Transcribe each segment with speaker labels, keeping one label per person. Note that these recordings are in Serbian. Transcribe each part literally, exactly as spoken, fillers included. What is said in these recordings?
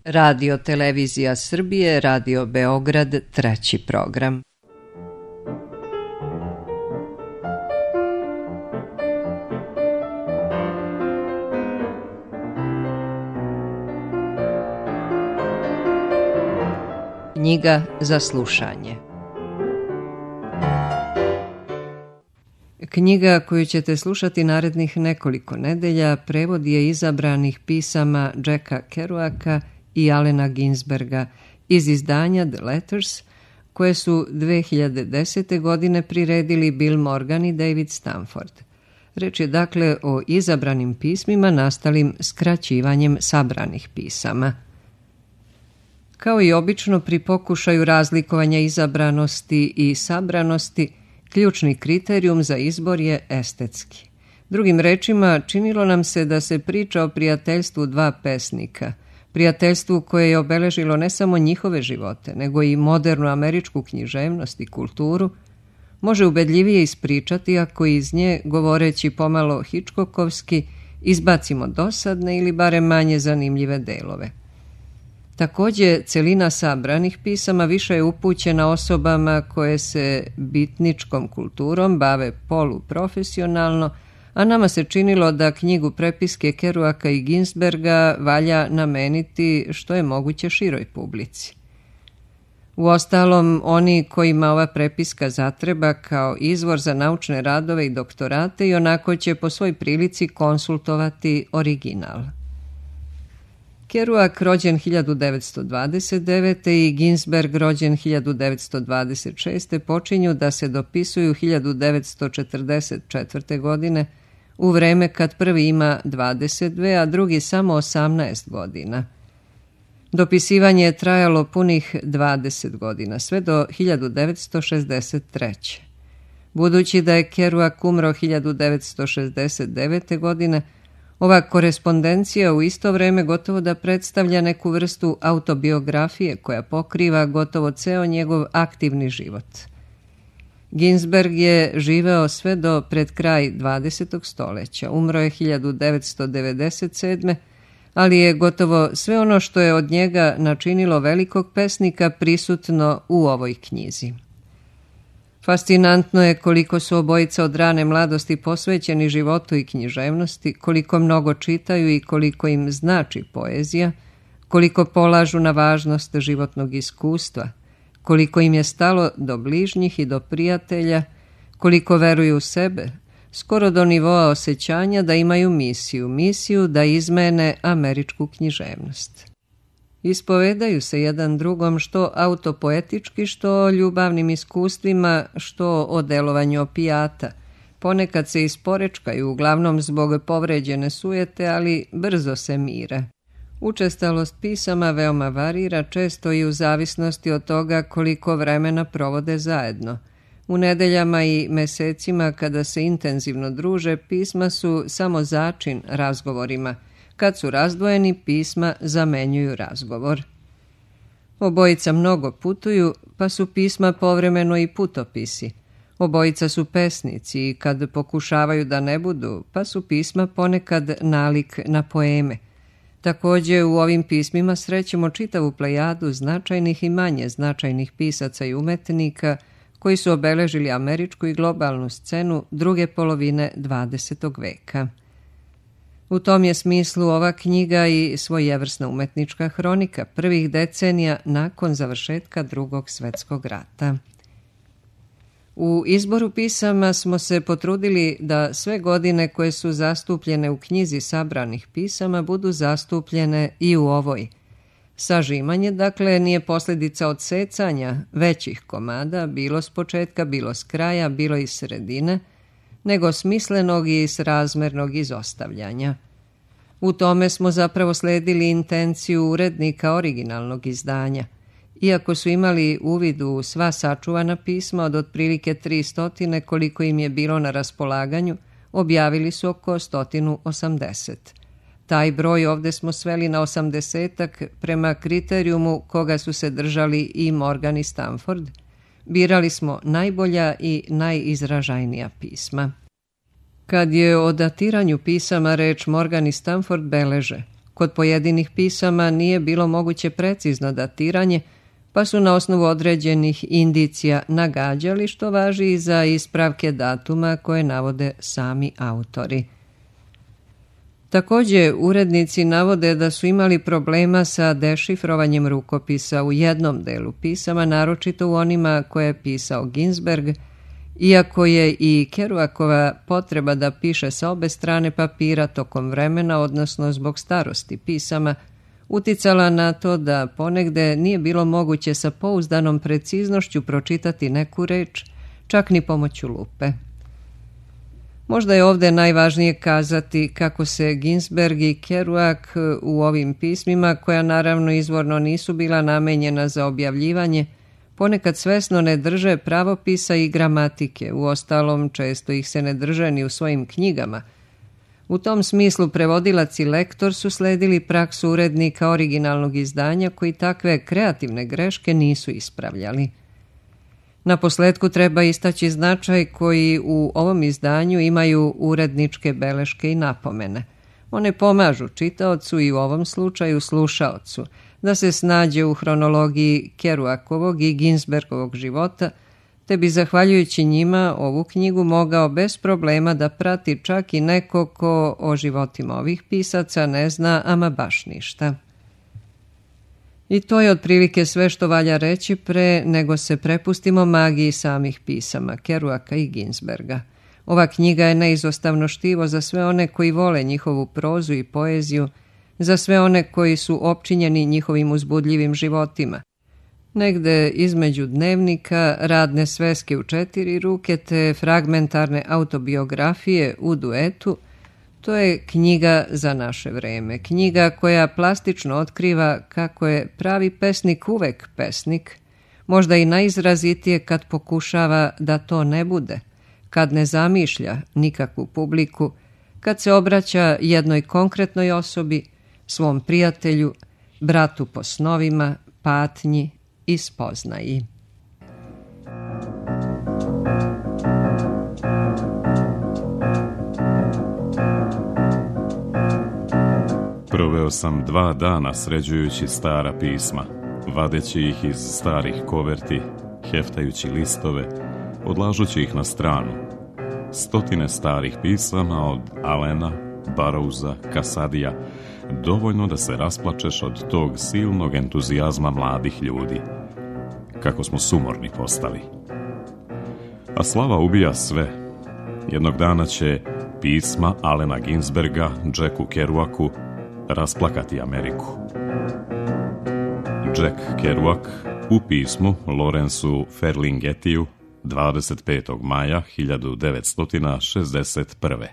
Speaker 1: Radio Televizija Srbije, Radio Beograd, treći program. Knjiga za slušanje. Knjiga koju ćete slušati narednih nekoliko nedelja prevod je izabranih pisama Jacka Kerouaka i Allena Ginsberga iz izdanja The Letters, koje su dve hiljade desete. godine priredili Bill Morgan i David Stanford. Reč je dakle o izabranim pismima nastalim skraćivanjem sabranih pisama. Kao i obično pri pokušaju razlikovanja izabranosti i sabranosti, ključni kriterijum za izbor je estetski. Drugim rečima, činilo nam se da se priča o prijateljstvu dva pesnika, prijateljstvu koje je obeležilo ne samo njihove živote, nego i modernu američku književnost i kulturu, može ubedljivije ispričati ako iz nje, govoreći pomalo Hitchcockovski, izbacimo dosadne ili barem manje zanimljive delove. Također, celina sabranih pisama više je upućena osobama koje se bitničkom kulturom bave poluprofesionalno, a nama se činilo da knjigu prepiske Kerouaka i Ginsberga valja nameniti što je moguće široj publici. Uostalom, oni kojima ova prepiska zatreba kao izvor za naučne radove i doktorate i onako će po svoj prilici konsultovati original. Kerouak rođen hiljadu devetsto dvadeset devete. i Ginsberg rođen hiljadu devetsto dvadeset šeste. počinju da se dopisuju hiljadu devetsto četrdeset četvrte. godine, u vreme kad prvi ima dvadeset dve, a drugi samo osamnaest godina. Dopisivanje je trajalo punih dvadeset godina, sve do hiljadu devetsto šezdeset treće. Budući da je Kerouak umro hiljadu devetsto šezdeset devete. godine, ova korespondencija u isto vreme gotovo da predstavlja neku vrstu autobiografije koja pokriva gotovo ceo njegov aktivni život. Ginsberg je živeo sve do pred kraj dvadesetog stoljeća. Umro je hiljadu devetsto devedeset sedme. ali je gotovo sve ono što je od njega načinilo velikog pesnika prisutno u ovoj knjizi. Fascinantno je koliko su obojica od rane mladosti posvećeni životu i književnosti, koliko mnogo čitaju i koliko im znači poezija, koliko polažu na važnost životnog iskustva, koliko im je stalo do bližnjih i do prijatelja, koliko veruju u sebe, skoro do nivoa osjećanja da imaju misiju, misiju da izmene američku književnost. Ispovedaju se jedan drugom što autopoetički, što o ljubavnim iskustvima, što o delovanju opijata. Ponekad se isporečkaju, uglavnom zbog povređene sujete, ali brzo se mire. Učestalost pisama veoma varira, često i u zavisnosti od toga koliko vremena provode zajedno. U nedeljama i mesecima kada se intenzivno druže, pisma su samo začin razgovorima. Kad su razdvojeni, pisma zamenjuju razgovor. Obojica mnogo putuju, pa su pisma povremeno i putopisi. Obojica su pesnici i kad pokušavaju da ne budu, pa su pisma ponekad nalik na poeme. Također u ovim pismima srećemo čitavu plejadu značajnih i manje značajnih pisaca i umetnika koji su obeležili američku i globalnu scenu druge polovine dvadesetog veka. U tom je smislu ova knjiga i svojevrsna umetnička hronika prvih decenija nakon završetka Drugog svjetskog rata. U izboru pisama smo se potrudili da sve godine koje su zastupljene u knjizi sabranih pisama budu zastupljene i u ovoj. Sažimanje, dakle, nije posljedica odsecanja većih komada, bilo s početka, bilo s kraja, bilo iz sredine, nego smislenog i srazmernog izostavljanja. U tome smo zapravo sledili intenciju urednika originalnog izdanja. Iako su imali uvid u sva sačuvana pisma od otprilike tri stotine koliko im je bilo na raspolaganju, objavili su oko sto osamdeset. Taj broj ovdje smo sveli na osamdesetak prema kriterijumu koga su se držali i Morgan i Stanford. Birali smo najbolja i najizražajnija pisma. Kad je o datiranju pisama reč, Morgan i Stanford beleže: Kod pojedinih pisama nije bilo moguće precizno datiranje, pa su na osnovu određenih indicija nagađali, što važi i za ispravke datuma koje navode sami autori. Također, urednici navode da su imali problema sa dešifrovanjem rukopisa u jednom delu pisama, naročito u onima koje je pisao Ginsberg, iako je i Kerouacova potreba da piše sa obe strane papira tokom vremena, odnosno zbog starosti pisama, uticala na to da ponegde nije bilo moguće sa pouzdanom preciznošću pročitati neku reč, čak ni pomoću lupe. Možda je ovdje najvažnije kazati kako se Ginsberg i Kerouac u ovim pismima, koja naravno izvorno nisu bila namenjena za objavljivanje, ponekad svesno ne drže pravopisa i gramatike, uostalom često ih se ne drže ni u svojim knjigama. U tom smislu prevodilac i lektor su sledili praksu urednika originalnog izdanja koji takve kreativne greške nisu ispravljali. Na posljetku treba istaći značaj koji u ovom izdanju imaju uredničke beleške i napomene. One pomažu čitaocu i u ovom slučaju slušaocu da se snađe u hronologiji Kerouacovog i Ginsbergovog života, te bi zahvaljujući njima ovu knjigu mogao bez problema da prati čak i neko ko o životima ovih pisaca ne zna ama baš ništa. I to je otprilike sve što valja reći pre nego se prepustimo magiji samih pisama Kerouaca i Ginsberga. Ova knjiga je neizostavno štivo za sve one koji vole njihovu prozu i poeziju, za sve one koji su opčinjeni njihovim uzbudljivim životima. Negde između dnevnika, radne sveske u četiri ruke te fragmentarne autobiografije u duetu, to je knjiga za naše vreme. Knjiga koja plastično otkriva kako je pravi pesnik uvek pesnik, možda i najizrazitije kad pokušava da to ne bude, kad ne zamišlja nikakvu publiku, kad se obraća jednoj konkretnoj osobi, svom prijatelju, bratu po snovima, patnji i spoznaji.
Speaker 2: Proveo sam dva dana sređujući stara pisma, vadeći ih iz starih koverti, heftajući listove, odlažući ih na stranu. Stotine starih pisama od Allena, Burroughsa, Casadija, dovoljno da se rasplačeš od tog silnog entuzijazma mladih ljudi. Kako smo sumorni postali. A slava ubija sve. Jednog dana će pisma Allena Ginsberga, Jacku Kerouacu rasplakati Ameriku. Jack Kerouac u pismu Lawrenceu Ferlinghettiju dvadeset petog maja hiljadu devetsto šezdeset prve.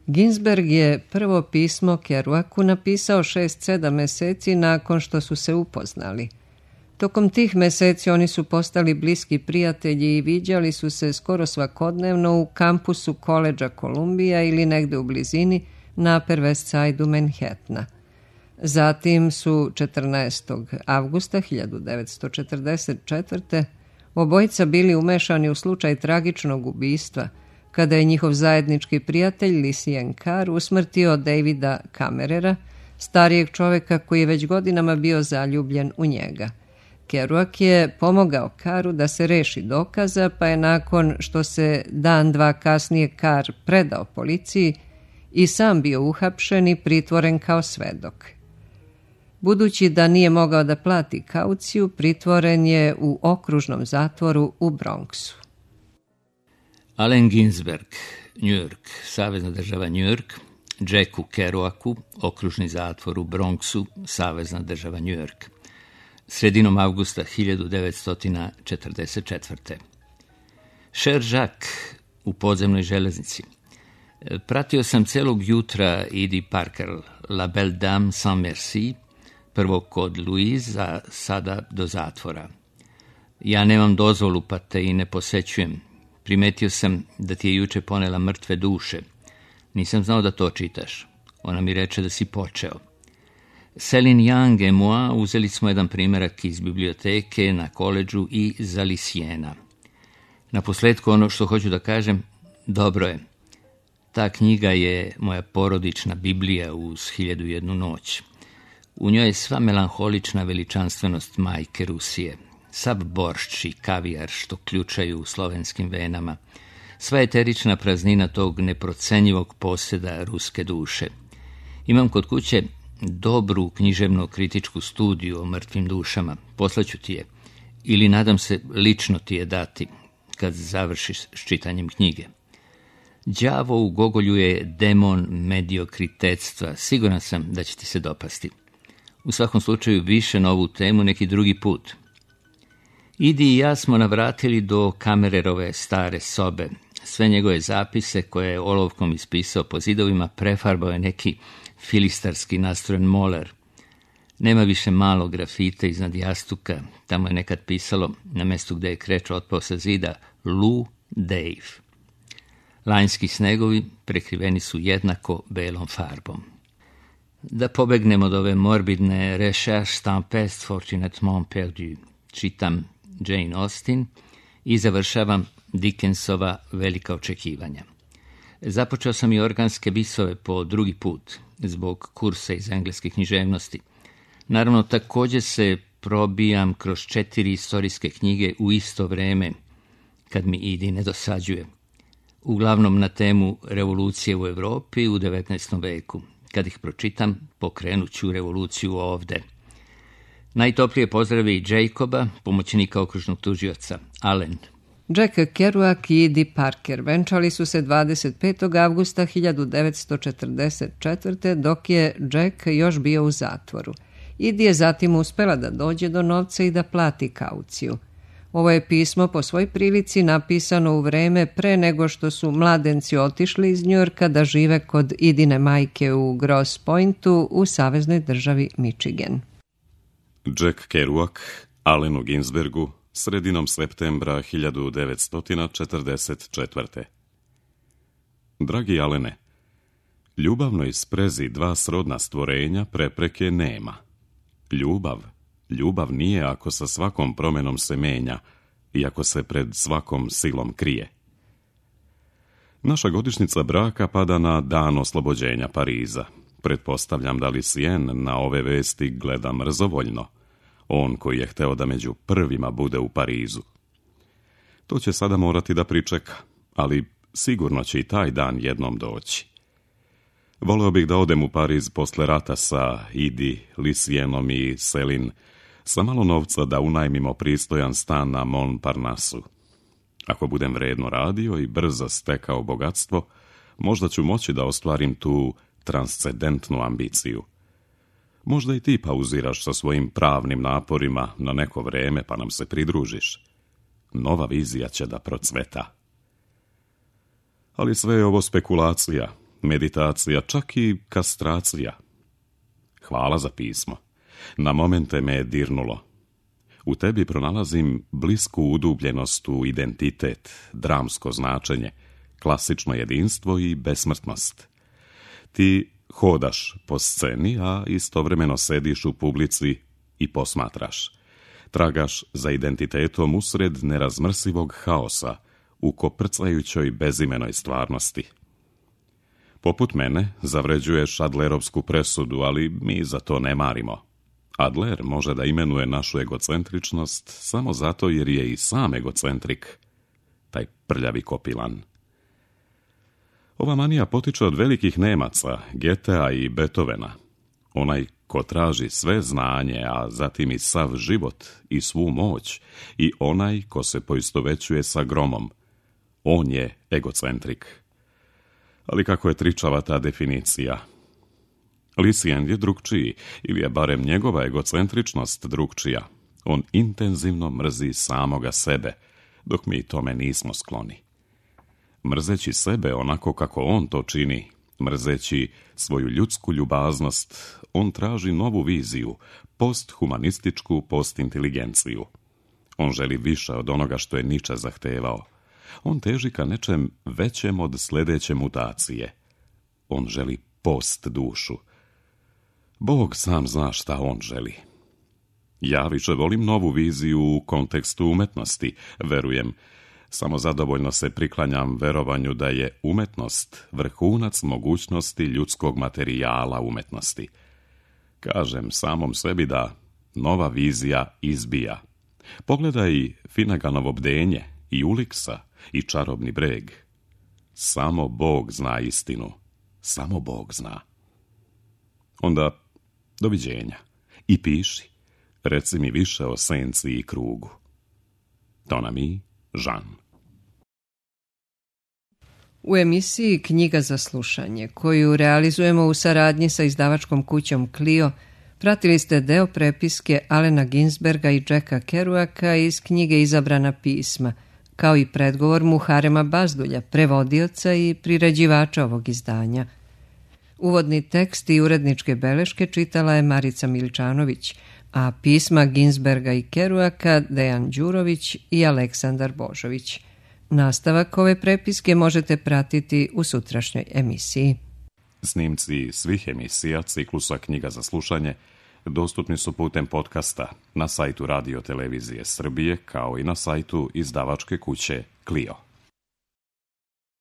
Speaker 1: Ginsberg je prvo pismo Kerouacu napisao šest sedam meseci nakon što su se upoznali. Tokom tih meseci oni su postali bliski prijatelji i viđali su se skoro svakodnevno u kampusu koledža Columbia ili negde u blizini na Upper West Side-u Manhattana. Zatim su četrnaestog avgusta hiljadu devetsto četrdeset četvrte obojica bili umešani u slučaj tragičnog ubistva, kada je njihov zajednički prijatelj Lucien Carr usmrtio Davida Kammerera, starijeg čoveka koji je već godinama bio zaljubljen u njega. Kerouac je pomogao Carru da se reši dokaza, pa je nakon što se dan dva kasnije Carr predao policiji i sam bio uhapšen i pritvoren kao svedok. Budući da nije mogao da plati kauciju, pritvoren je u okružnom zatvoru u Bronxu.
Speaker 3: Allen Ginsberg, New York, Savezna država New York, Jacku Kerouacu, okružni zatvor u Bronxu, Savezna država New York. Sredinom avgusta hiljadu devetsto četrdeset četvrte. Cher Jacques u podzemnoj železnici. Pratio sam celog jutra Edie Parker, La Belle Dame sans Merci, prvo kod Louise, a sada do zatvora. Ja nemam dozvolu, pa te i ne posećujem. Primetio sam da ti je juče ponela mrtve duše. Nisam znao da to čitaš. Ona mi reče da si počeo. Céline Young et moi uzeli smo jedan primjerak iz biblioteke na koledžu i za Lisiena. Na posledku ono što hoću da kažem, dobro je. Ta knjiga je moja porodična Biblija uz hiljadu jednu noć. U njoj je sva melanholična veličanstvenost majke Rusije, sav boršč i kavijar što ključaju u slovenskim venama, sva eterična praznina tog neprocenjivog posjeda ruske duše. Imam kod kuće dobru književno-kritičku studiju o mrtvim dušama, poslaću ti je, ili nadam se lično ti je dati, kad završiš s čitanjem knjige. Đavo u Gogolju je demon mediokritetstva, siguran sam da će ti se dopasti. U svakom slučaju više na ovu temu neki drugi put. Idi i ja smo navratili do Kamererove stare sobe. Sve njegove zapise koje je olovkom ispisao po zidovima prefarbao je neki filistarski nastrojen moler. Nema više malog grafita iznad jastuka, tamo je nekad pisalo, na mjestu gdje je kreč otpao sa zida, Lou Dave. Lanjski snegovi prekriveni su jednako belom farbom. Da pobegnemo od ove morbidne recherche tempeste fortunatement perdu, čitam Jane Austen i završavam Dickensova Velika očekivanja. Započeo sam i organske bisove po drugi put, zbog kursa iz engleske književnosti. Naravno, također se probijam kroz četiri istorijske knjige u isto vreme, kad mi Idi ne dosađuje. Uglavnom na temu revolucije u Europi u devetnaestom veku. Kad ih pročitam, pokrenut ću revoluciju ovde. Najtoplije pozdravi i Jacoba, pomoćnika okružnog tužioca, Allen.
Speaker 1: Jack Kerouac i Idi Parker venčali su se dvadeset petog avgusta hiljadu devetsto četrdeset četvrte. dok je Jack još bio u zatvoru. Idi je zatim uspela da dođe do novca i da plati kauciju. Ovo je pismo po svoj prilici napisano u vreme pre nego što su mladenci otišli iz Njujorka da žive kod Idine majke u Grosse Pointu u saveznoj državi Michigan.
Speaker 2: Jack Kerouac, Allenu Ginsbergu, sredinom septembra hiljadu devetsto četrdeset četvrte. Dragi Allene, ljubavnoj sprezi dva srodna stvorenja prepreke nema. Ljubav, ljubav nije ako sa svakom promjenom se menja i ako se pred svakom silom krije. Naša godišnjica braka pada na dan oslobođenja Pariza. Pretpostavljam da Lucien na ove vesti gleda mrzovoljno. On koji je hteo da među prvima bude u Parizu. To će sada morati da pričeka, ali sigurno će i taj dan jednom doći. Voleo bih da odem u Pariz posle rata sa Idi, Lucienom i Selin, sa malo novca da unajmimo pristojan stan na Montparnasu. Ako budem vredno radio i brzo stekao bogatstvo, možda ću moći da ostvarim tu transcendentnu ambiciju. Možda i ti pauziraš sa svojim pravnim naporima na neko vreme pa nam se pridružiš. Nova vizija će da procveta. Ali sve je ovo spekulacija, meditacija, čak i kastracija. Hvala za pismo. Na momente me je dirnulo. U tebi pronalazim blisku udubljenost u identitet, dramsko značenje, klasično jedinstvo i besmrtnost. Ti hodaš po sceni, a istovremeno sediš u publici i posmatraš. Tragaš za identitetom usred nerazmrsivog haosa, u koprcajućoj bezimenoj stvarnosti. Poput mene zavređuješ Adlerovsku presudu, ali mi za to ne marimo. Adler može da imenuje našu egocentričnost samo zato jer je i sam egocentrik, taj prljavi kopilan. Ova manija potiče od velikih Nemaca, Goethea i Beethovena. Onaj ko traži sve znanje, a zatim i sav život i svu moć, i onaj ko se poistovećuje sa gromom. On je egocentrik. Ali kako je tričava ta definicija? Lucien je drugčiji, ili je barem njegova egocentričnost drugčija. On intenzivno mrzi samoga sebe, dok mi tome nismo skloni. Mrzeći sebe onako kako on to čini, mrzeći svoju ljudsku ljubaznost, on traži novu viziju, posthumanističku postinteligenciju. On želi više od onoga što je Nietzsche zahtevao. On teži ka nečem većem od sljedeće mutacije. On želi post dušu. Bog sam zna šta on želi. Ja više volim novu viziju u kontekstu umetnosti, verujem. Samo zadovoljno se priklanjam verovanju da je umetnost vrhunac mogućnosti ljudskog materijala umetnosti. Kažem samom sebi da nova vizija izbija. Pogledaj Finneganovo bdenje i Uliksa i čarobni breg. Samo Bog zna istinu. Samo Bog zna. Onda, doviđenja. I piši. Reci mi više o senci i krugu. Ton ami, Žan.
Speaker 1: U emisiji Knjiga za slušanje, koju realizujemo u saradnji sa izdavačkom kućom Clio, pratili ste deo prepiske Allena Ginsberga i Jacka Kerouaka iz knjige Izabrana pisma, kao i predgovor Muharema Bazdulja, prevodioca i priređivača ovog izdanja. Uvodni tekst i uredničke beleške čitala je Marica Miličanović, a pisma Ginsberga i Kerouaka Dejan Đurović i Aleksandar Božović. Nastavak ove prepiske možete pratiti u sutrašnjoj emisiji.
Speaker 2: Snimci svih emisija ciklusa Knjiga za slušanje dostupni su putem podcasta na sajtu Radio Televizije Srbije kao i na sajtu izdavačke kuće Clio.